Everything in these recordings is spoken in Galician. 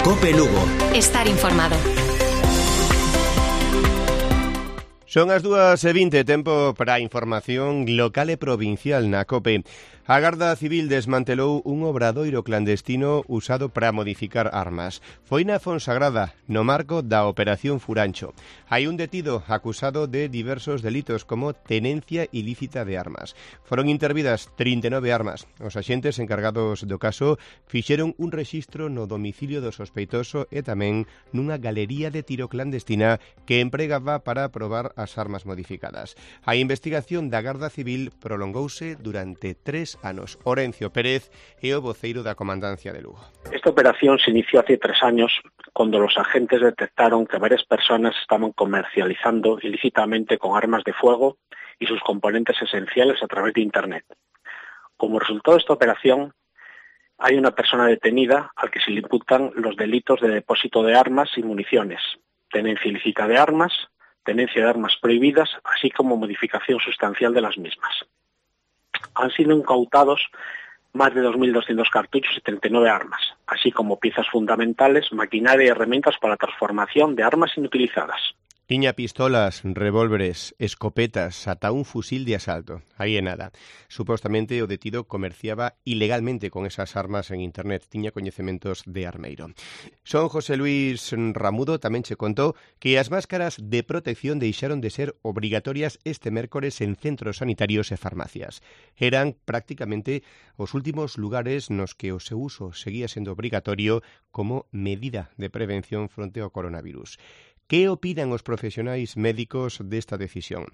COPE Lugo. Estar informado. Son as 2:20, tempo para a información local e provincial na COPE. A Garda Civil desmantelou un obradoiro clandestino usado para modificar armas. Foi na Fonsagrada, no marco da Operación Furancho. Hai un detido acusado de diversos delitos como tenencia ilícita de armas. Foron intervidas 39 armas. Os axentes encargados do caso fixeron un rexistro no domicilio do sospeitoso e tamén nunha galería de tiro clandestina que empregaba para probar as armas modificadas. A investigación da Garda Civil prolongouse durante 3 anos. Orencio Pérez é o voceiro da Comandancia de Lugo. Esta operación se inició hace 3 años cuando los agentes detectaron que varias personas estaban comercializando ilícitamente con armas de fuego y sus componentes esenciales a través de Internet. Como resultado de esta operación, hay una persona detenida al que se le imputan los delitos de depósito de armas y municiones, tenencia ilícita de armas, tenencia de armas prohibidas, así como modificación sustancial de las mismas. Han sido incautados más de 2.200 cartuchos y 39 armas, así como piezas fundamentales, maquinaria y herramientas para la transformación de armas inutilizadas. Tiña pistolas, revólveres, escopetas, ata un fusil de asalto. Aí é nada. Supostamente o detido comerciaba ilegalmente con esas armas en internet. Tiña coñecementos de armeiro. Son José Luis Ramudo tamén che contou que as máscaras de protección deixaron de ser obrigatorias este mércores en centros sanitarios e farmacias. Eran prácticamente os últimos lugares nos que o seu uso seguía sendo obrigatorio como medida de prevención fronte ao coronavirus. Que opinan os profesionais médicos desta decisión?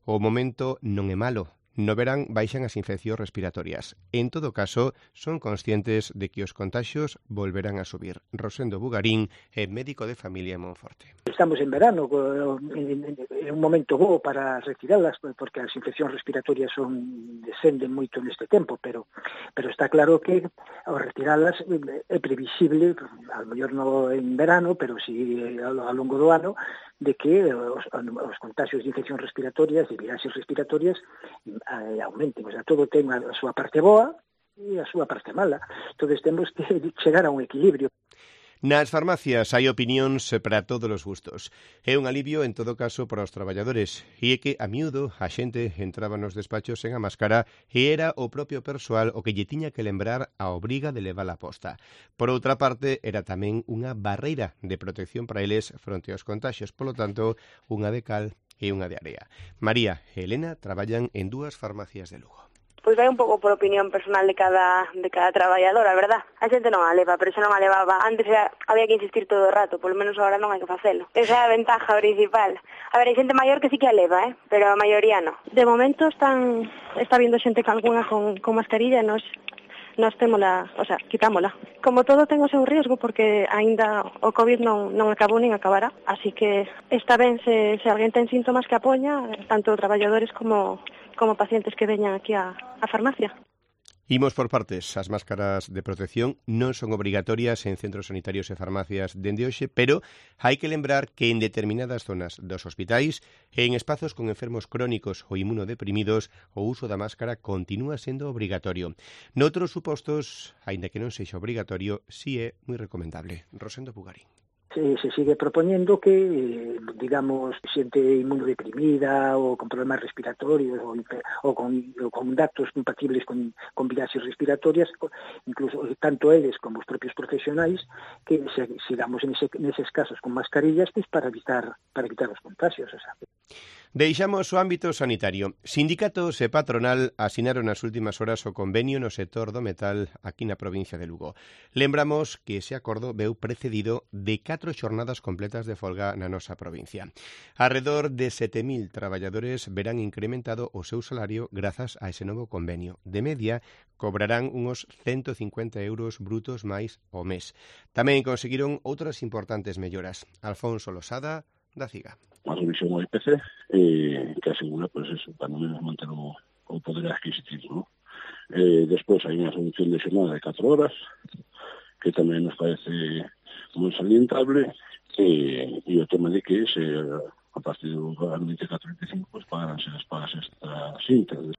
O momento non é malo. No verán baixan as infeccións respiratorias. En todo caso, son conscientes de que os contaxios volverán a subir. Rosendo Bugarín é médico de familia en Monforte. Estamos en verano, é un momento bo para retirarlas, porque as infeccións respiratorias descenden moito neste tempo, pero está claro que ao retirarlas é previsible, ao mellor non en verano, pero si ao longo do ano, de que os contagios de infeccións respiratorias, de viaxes respiratorias, aumenten. O sea, todo ten a súa parte boa e a súa parte mala. Entonces temos que chegar a un equilibrio. Nas farmacias hai opinións para todos os gustos. É un alivio, en todo caso, para os traballadores. E é que, a miúdo, a xente entraba nos despachos sen a máscara e era o propio persoal o que lle tiña que lembrar a obriga de levala posta. Por outra parte, era tamén unha barreira de protección para eles fronte aos contaxios. Polo tanto, unha de cal e unha de area. María e Elena traballan en 2 farmacias de Lugo. Pois vai un pouco por opinión personal de cada traballador, a verdad. A xente non a leva, pero xa non a levaba. Antes había que insistir todo o rato, polo menos agora non hai que facelo. Esa é a ventaja principal. A ver, hai xente maior que sí que a leva, pero a maioría non. De momento está vindo xente que algunha con mascarilla e nos témola, o sea, quitámola. Como todo ten o seu riesgo, porque aínda o COVID non acabou nin acabará, así que está ben se alguén ten síntomas que apoña, tanto traballadores como pacientes que veñan aquí á farmacia. Imos por partes. As máscaras de protección non son obrigatorias en centros sanitarios e farmacias dende hoxe, pero hai que lembrar que en determinadas zonas dos hospitais e en espazos con enfermos crónicos ou inmunodeprimidos o uso da máscara continúa sendo obrigatorio. Noutros supostos, aínda que non sexa obrigatorio, si é moi recomendable. Rosendo Bugarín. Se sigue propoñendo que, digamos, xente inmunodeprimida ou con problemas respiratorios ou con datos compatibles con viaxes respiratorias, incluso tanto eles como os propios profesionais, que sigamos neses casos con mascarillas, pues, para evitar os contagios. O sea. Deixamos o ámbito sanitario. Sindicatos e patronal asinaron nas últimas horas o convenio no sector do metal aquí na provincia de Lugo. Lembramos que ese acordo veu precedido de 4 xornadas completas de folga na nosa provincia. Arredor de 7.000 traballadores verán incrementado o seu salario grazas a ese novo convenio. De media, cobrarán uns 150 euros brutos máis ao mes. Tamén conseguiron outras importantes melloras. Alfonso Losada, da CIGA. Unha revisión ao IPC que asegura, pues, eso, para non manter o poder adquisitivo, ¿no? Despois hai unha reducción de xornada de 4 horas, que tamén nos parece moi salientable, e o tema de que a partir do 24-25 pues, pagaránse as pagas extras íntegras.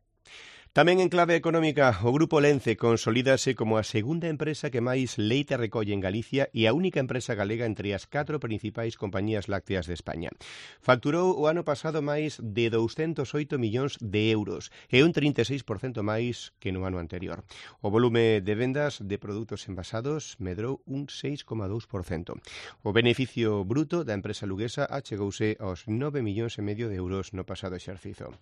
Tamén en clave económica, o Grupo Lence consolídase como a segunda empresa que máis leite recolle en Galicia e a única empresa galega entre as 4 principais compañías lácteas de España. Facturou o ano pasado máis de 208 millóns de euros e un 36% máis que no ano anterior. O volume de vendas de produtos envasados medrou un 6,2%. O beneficio bruto da empresa luguesa achegouse aos 9,5 millóns de euros no pasado exercizo.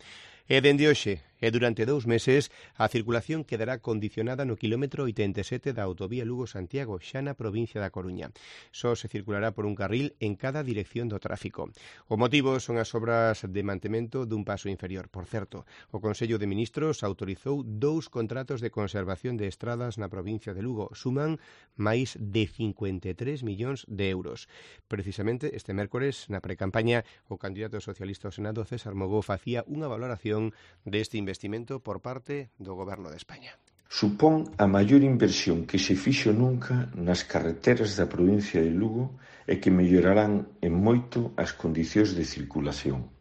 E dende hoxe e durante 2 meses a circulación quedará condicionada no quilómetro 87 da autovía Lugo-Santiago, xa na provincia da Coruña. Só se circulará por un carril en cada dirección do tráfico. O motivo son as obras de mantemento dun paso inferior. Por certo, o Consello de Ministros autorizou 2 contratos de conservación de estradas na provincia de Lugo. Suman máis de 53 millóns de euros. Precisamente este mércores, na precampaña, o candidato socialista ao Senado, César Mogó, facía unha valoración deste investimento por parte do Goberno de España. Supón a maior inversión que se fixo nunca nas carreteras da provincia de Lugo e que mellorarán en moito as condicións de circulación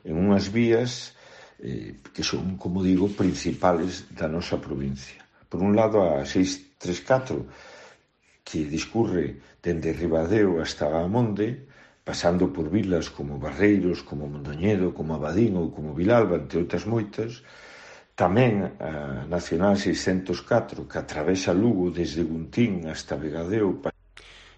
en unhas vías que son, como digo, principales da nosa provincia. Por un lado, a 634, que discurre dende Ribadeo hasta Amonde, pasando por vilas como Barreiros, como Mondoñedo, como Abadín ou como Vilalba, entre outras moitas. Tamén a Nacional 604, que atravesa Lugo desde Guntín hasta Vegadeo.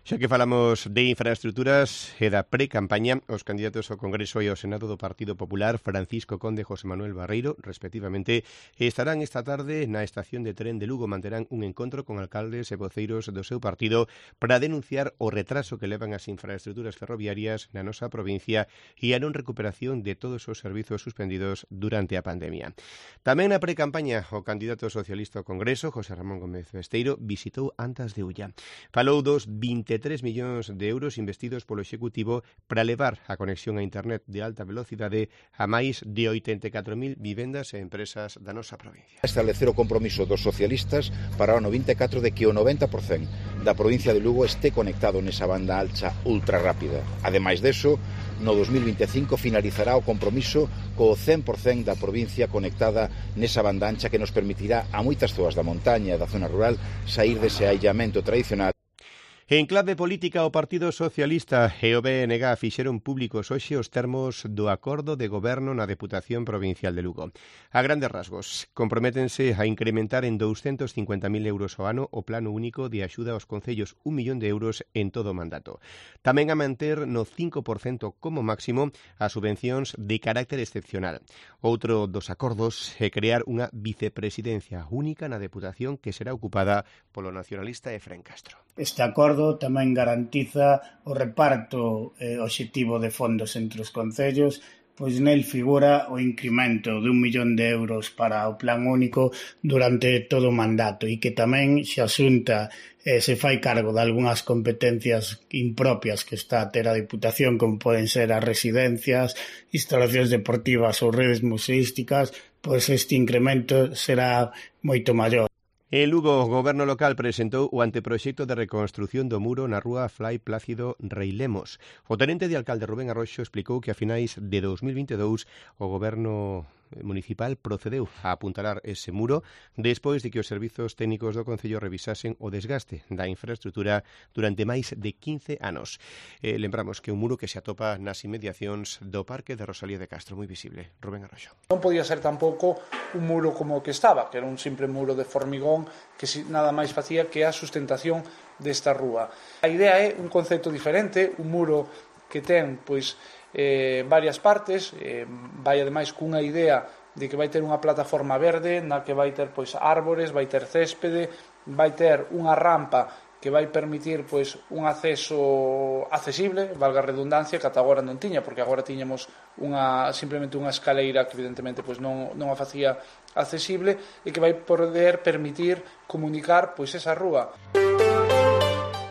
Xa que falamos de infraestructuras e da pre-campaña, os candidatos ao Congreso e ao Senado do Partido Popular, Francisco Conde e José Manuel Barreiro, respectivamente, estarán esta tarde na estación de tren de Lugo. Manterán un encontro con alcaldes e voceiros do seu partido para denunciar o retraso que levan as infraestructuras ferroviarias na nosa provincia e a non recuperación de todos os servizos suspendidos durante a pandemia. Tamén na pre-campaña, o candidato socialista ao Congreso, José Ramón Gómez Besteiro, visitou Antas de Ulla. Falou dos 23 millóns de euros investidos polo Executivo para levar a conexión a Internet de alta velocidade a máis de 84.000 vivendas e empresas da nosa provincia. Establecer o compromiso dos socialistas para o 94 de que o 90% da provincia de Lugo este conectado nesa banda alta ultra rápida. Ademais deso, no 2025 finalizará o compromiso co 100% da provincia conectada nesa banda ancha que nos permitirá a moitas zoas da montaña e da zona rural sair dese aillamento tradicional. En clave política, o Partido Socialista e o BNG fixeron públicos hoxe os termos do acordo de goberno na Deputación Provincial de Lugo. A grandes rasgos, comprométense a incrementar en 250.000 euros ao ano o plano único de axuda aos concellos, 1 millón de euros en todo o mandato. Tamén a manter no 5% como máximo as subvencións de carácter excepcional. Outro dos acordos é crear unha vicepresidencia única na Deputación que será ocupada polo nacionalista Efrén Castro. Este acordo tamén garantiza o reparto obxectivo de fondos entre os concellos, pois nel figura o incremento de 1 millón de euros para o plan único durante todo o mandato e que tamén se asunta se fai cargo de algunhas competencias impropias que está a ter a Diputación, como poden ser as residencias, instalacións deportivas ou redes museísticas, pois este incremento será moito maior. En Lugo, o Goberno local presentou o anteproxecto de reconstrución do muro na rúa Fray Plácido Rei Lemos. O tenente de alcalde Rubén Arroxo explicou que a finais de 2022 o Goberno municipal procedeu a apuntalar ese muro despois de que os servizos técnicos do Concello revisasen o desgaste da infraestrutura durante máis de 15 anos. Lembramos que un muro que se atopa nas inmediacións do Parque de Rosalía de Castro, moi visible. Rubén Arroxo. Non podía ser tampouco un muro como o que estaba, que era un simple muro de formigón que nada máis facía que a sustentación desta rúa. A idea é un concepto diferente, un muro que ten varias partes, vai ademais cunha idea de que vai ter unha plataforma verde na que vai ter árbores, vai ter céspede, vai ter unha rampa que vai permitir un acceso accesible, valga a redundancia, que ata agora non tiña, porque agora tiñamos simplemente unha escaleira que evidentemente non a facía accesible e que vai poder permitir comunicar esa rúa.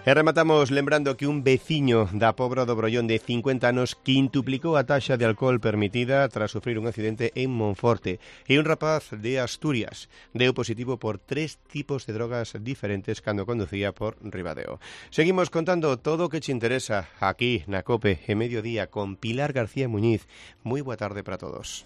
E rematamos lembrando que un veciño da Pobra do Brollón de 50 anos quintuplicou a taxa de alcohol permitida tras sufrir un accidente en Monforte. E un rapaz de Asturias deu positivo por 3 tipos de drogas diferentes cando conducía por Ribadeo. Seguimos contando todo o que te interesa aquí na COPE en Mediodía con Pilar García Muñiz. Moi boa tarde para todos.